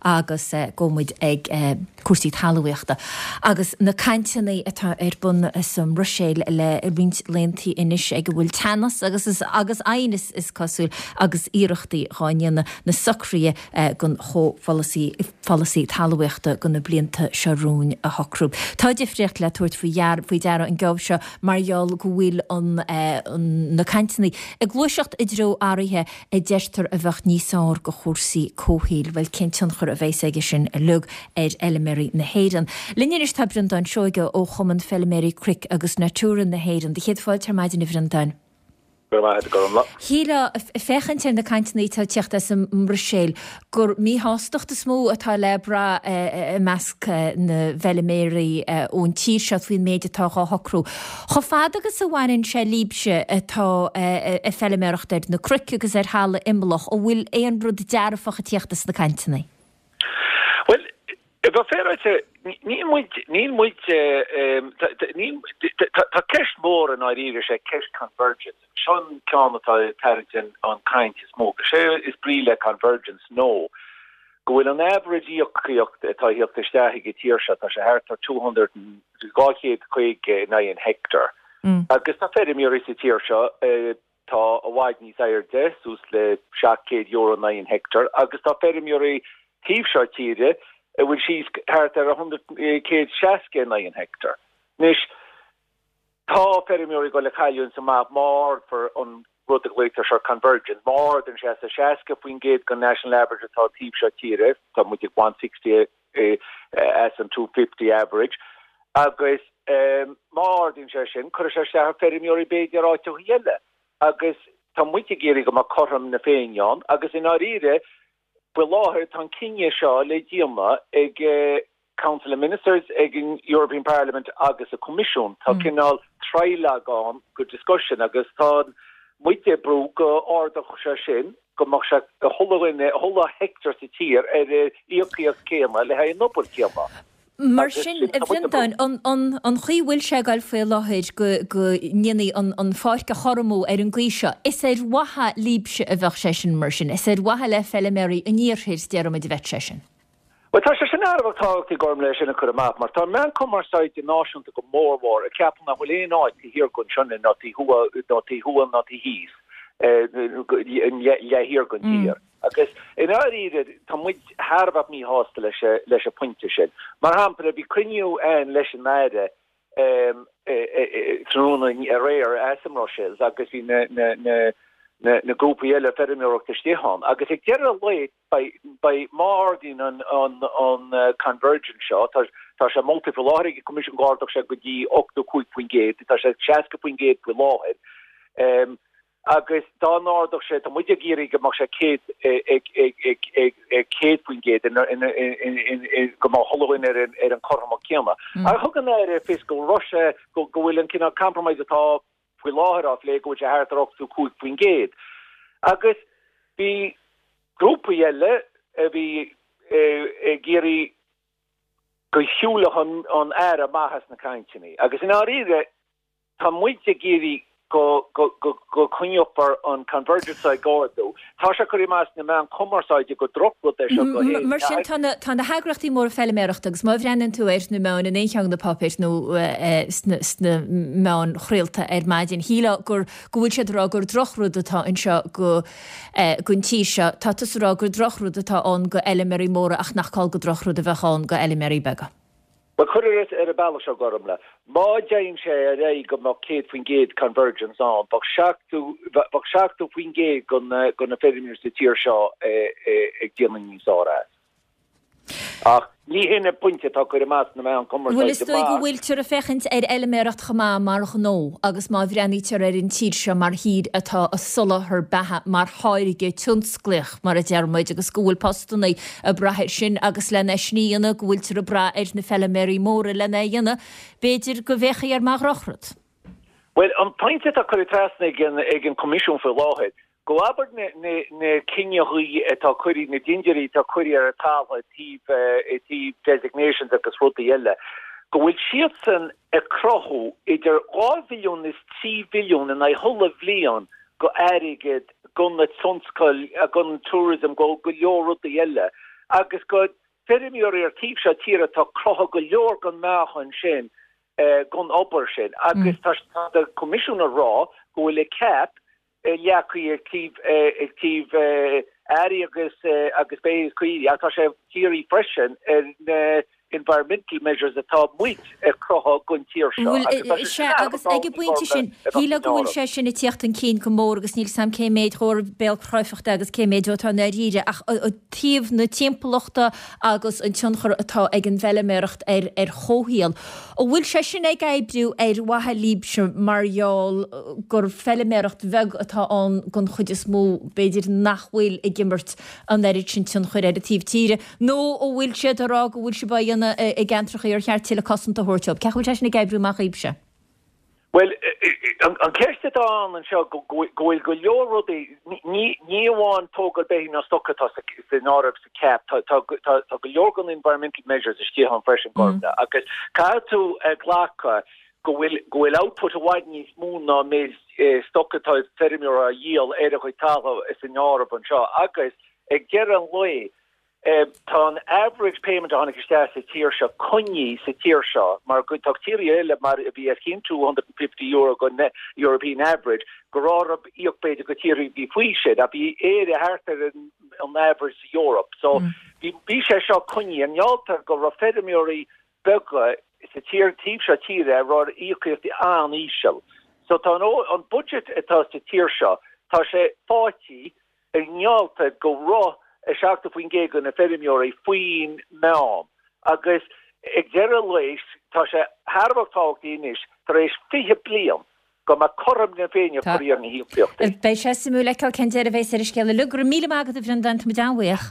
Agus gabhfaidh muid ag cúrsaí talmhaíochta agus na cainteanna atá ar bun sa mBruiséil le roinnt laethanta anois ag a bhfuil teannas agus agus aighneas is cosúil agus iarrachtaí dhá ndéanamh na socruithe don chomhpholasaí pholasaí talmhaíochta do na blianta seo romhainn a shocrú. Tá difríocht le tabhairt faoi deara an geábh seo mar gheall go bhfuil an na cainteanna ag gluaiseacht i dtreo athruithe a deirtear a bheadh níos fearr do chúrsaí comhshaoil. Bhuel, cén tionchar a bheas aige sin uilig ar fheilméaraí na hÉireann? Linn anois tá Breandán Seoige ó Chumann Feilméaraí Cnoic agus Natura na hÉireann. Do chéad fáilte ar maidin, a Bhreandáin. Go raibh maith agat, a Ghormfhlaith. Shílfeá, ag féachaint ar na cainteanna atá ag tíocht as an mBruiséil, gur míshástacht is mó atá le brath i measc na bhfeilméaraí ón tír seo faoin méid atá dhá shocrú. Chomh fada agus a bhaineann sé libhse atá ag feilméaracht ar na cnoic agus ar thalamh imeallach, an bhfuil aon rud dearfach ag tíocht as na cainteanna? Bhuel, a bheith féaráilte, níl muid, níl muid, níl, tá ceist mhór i ndáiríre, is é ceist convergence. Seo an ceann atá ag tarraingt an chaint is mó. Is é is brí le convergence nó go bhfuil an average íocaíocht atá ag theacht isteach ag an tír seo, tá sé thart ar 200, 250 in aghaidh an heicteár. Agus tá feirmeoirí sa tír seo atá i bhfad níos airde, suas le €700 in aghaidh an heicteár, agus tá feirmeoirí taobh seo tíre a bhfuil síos thart ar 160 in aghaidh an heicteár. Anois, Tá feirmeoirí ag dul ag cailliúint amach má ardfar an rud a ghlaoitear seo convergence, má ardaíonn sé as a 60% den national average atá an taobh seo tíre, tá muid ag 160 as an 250 average, agus má ardaíonn sé sin, cuirfidh sé isteach ar feirmeoirí b'fhéidir áiteachaí eile. Agus tá muid ag iarraidh go mbeadh cothrom na Féinne ann, agus i ndáiríre, faoi láthair tá an cinneadh seo le déanamh ag Council of Ministers, ag an European Parliament agus an Coimisiún. Tá cineál trilogue ann go discussion agus tá muid ag brú go ardódh sé sin go mbeadh sé chuile dhuine, chuile heicteár sa tír ar an íocaíocht céanna le haghaidh an obair céanna. Mar sin, a Bhreandáin, an chaoi a bhfuil sé ag goil faoi láthair go go ndéanfaí an pháirc a chothromú ar an gcaoi seo, is ar mhaithe libhse a bheadh sé sin mar sin, is ar mhaithe le feilméaraí an iarthair, déarfaimid, a bheadh sé sin. Bhuel, tá sé sin thar a bheith tábhachtach Gormfhlaith é sin a chur amach, mar tá an meán cumarsáide náisiúnta go mórmhór ag ceapadh nach bhfuil aon áit taobh thiar den Sionainn ná taobh thuaidh ná taobh thuaidh ná taobh thíos, leath thiar den tír. Agus i ndáiríre, tá muid thar a bheith míshásta leis leis an phointe sin. Mar shampla, bhí cruinniú ann leis an Aire tráthnóna aréir as an mBruiséil agus bhí na na na na grúpaí eile feirmeoireachta istigh ann agus ag deireadh an lae, Beidh, má ardaíonn an convergence seo, tá sé molta faoi láthair ag an Coimisiún go ardódh sé go dtí 85%, tá sé 60% faoi láthair, agus dá n-ardódh sé, tá muid ag iarraidh go mbeadh sé 100% go mbeadh chuile dhuine ar an cothromaíocht céanna. Ach thug an Aire fios go raibh sé, go bhfuil an cineál compromise atá faoi láthair á phlé, go bhfuil sé thart ar 85%. Agus bhí grúpaí eile a bhí ag iarraidh go siúlfadh an Aire amach as na cainteanna. Agus i ndáiríre, tá muid ag iarraidh go go coinneofar an convergence ag ardú. Tá sé curtha amach sna meáin chumarsáide gur drochrud é seo go hÉirinn. Mar sin, tá na heagraíochtaí móra feilméarachta agus má bhreathnaíonn tú ar na meáin in aon cheann de na páipéir nó sna meáin chraolta ar maidin, shílfeá gur go bhfuil siad ag rá gur drochrud atá anseo go don tír seo. Tá tusa ag rá gur drochrud atá ann go fheilméaraí móra ach nach call gur drochrud a bheadh ann go fheilméaraí beaga. Bhuel, cuir ar an bealach seo, Gormfhlaith, má dtéann sé ar aghaidh go mbeadh 100% convergence ann, bheadh bheadh 70% de na feirmeoirí sa tír seo ag déanamh níos fearr as. Ach ní hin an pointe atá curtha amach sna meáin Bhuel, is chumarsáide dóigh go mar. bhfuiltear ag féachaint ar fheilméaracht chomh maith mar ghnó agus má bhreathnaítear ar an tír seo mar thír atá ag soláthar beatha mar tháirge tionsclaíoch, mar a deir muid, agus go bhfuil postanna ag brath air sin agus lena sin a dhéanamh go bhfuiltear ag brath ar na feilméaraí móra lena dhéanamh, b'fhéidir go bhféachfaí air mar dhrochrud. Bhuel, an pointe atá curtha trasna ag an Coimisiún faoi láthair, go abair na cinneadhaí atá curtha, na dindiúirí atá curtha ar an talamh i dtaobh designations agus rudaí eile, go bhfuil siadsan ag cruthú idir 2 bhilliún is 3 bhilliún in aghaidh chuile bhliain go airgead go na tionscail, gon tourism, go go leor rudaí eile. agus go feirmeoirí ar taobh seo tíre atá croitheadh go leor den meáchan sin den obair sin agus tá an Coimisiún ag rá go bhfuil an cap leagtha ag taobh ag taobh airí agus agus beithígh is caoirigh ach tá sé dírithe freisin ar na environmental measures atá muid ag croitheadh don tír seo agus tá sé sin agus ag an bpointe sin shílfeá go bhfuil sé sin ag tíocht chun cinn go mór agus níl 's a'm cé méid dhó ar béalchráifeacht é agus cé méid dhó atá i ndáiríre ach taobh na timpeallachta agus an tionchar atá ag an bhfeilméaracht ar ar chomhshaol. An bhfuil sé sin ag oibriú ar mhaithe libhse mar gheall gur feilméaracht bheag atá ann den chuid is mó, b'fhéidir nach bhfuil ag imirt an oiread sin tionchair ar an taobh tíre, nó an bhfuil siad ag rá go bhfuil sibh á dhéanamh i gceantrachaí ar cheart tuilleadh cosanta a thabhairt dóibh? Cén chaoi a bhfuil sé sin ag oibriú amach dhaoibhse? Bhuel, an cheist atá ann anseo go bhfuil go leor rudaí, ní amháin tógáil beithígh ná stoc atá san áireamh sa cap, tá go leor den environmental measures istigh ann freisin, Gormfhlaith, agus caithfidh tú a ghlacadh go bhfuil go bhfuil output i bhfad níos mó ná an méid stoc atá feirmeoir á dhíol ar a chuid talamh san áireamh anseo agus ag deireadh an lae, Tá an average payment a tháinig isteach sa tír seo coinnithe sa tír seo mar go tá tíortha eile mar a bhí os cionn €250 den European average go raibh íoc b'fhéidir go tíortha a bhí faoi sin ach bhí Éire thart ar an average sa Eoraip so bhí sé seo coinnithe i ngeall go raibh feirmeoirí beaga sa tír taobh seo tíre a raibh íocaíochtaí an-íseal so tá an budget atá sa tír seo tá sé faighte i ngeall go raibh 70% de na feirmeoirí faoin meán agus ag deireadh an lae tá sé thar a bheith tábhachtach anois tar éis 20 bliain go mbeadh cothrom na Féinne curtha ar na híocaíochtaí. Beidh sé suimiúil a fheiceáil cén deireadh a bheas ar an scéal uilig. Go raibh míle maith agat a Bhreandáin, tá muid an-bhuíoch.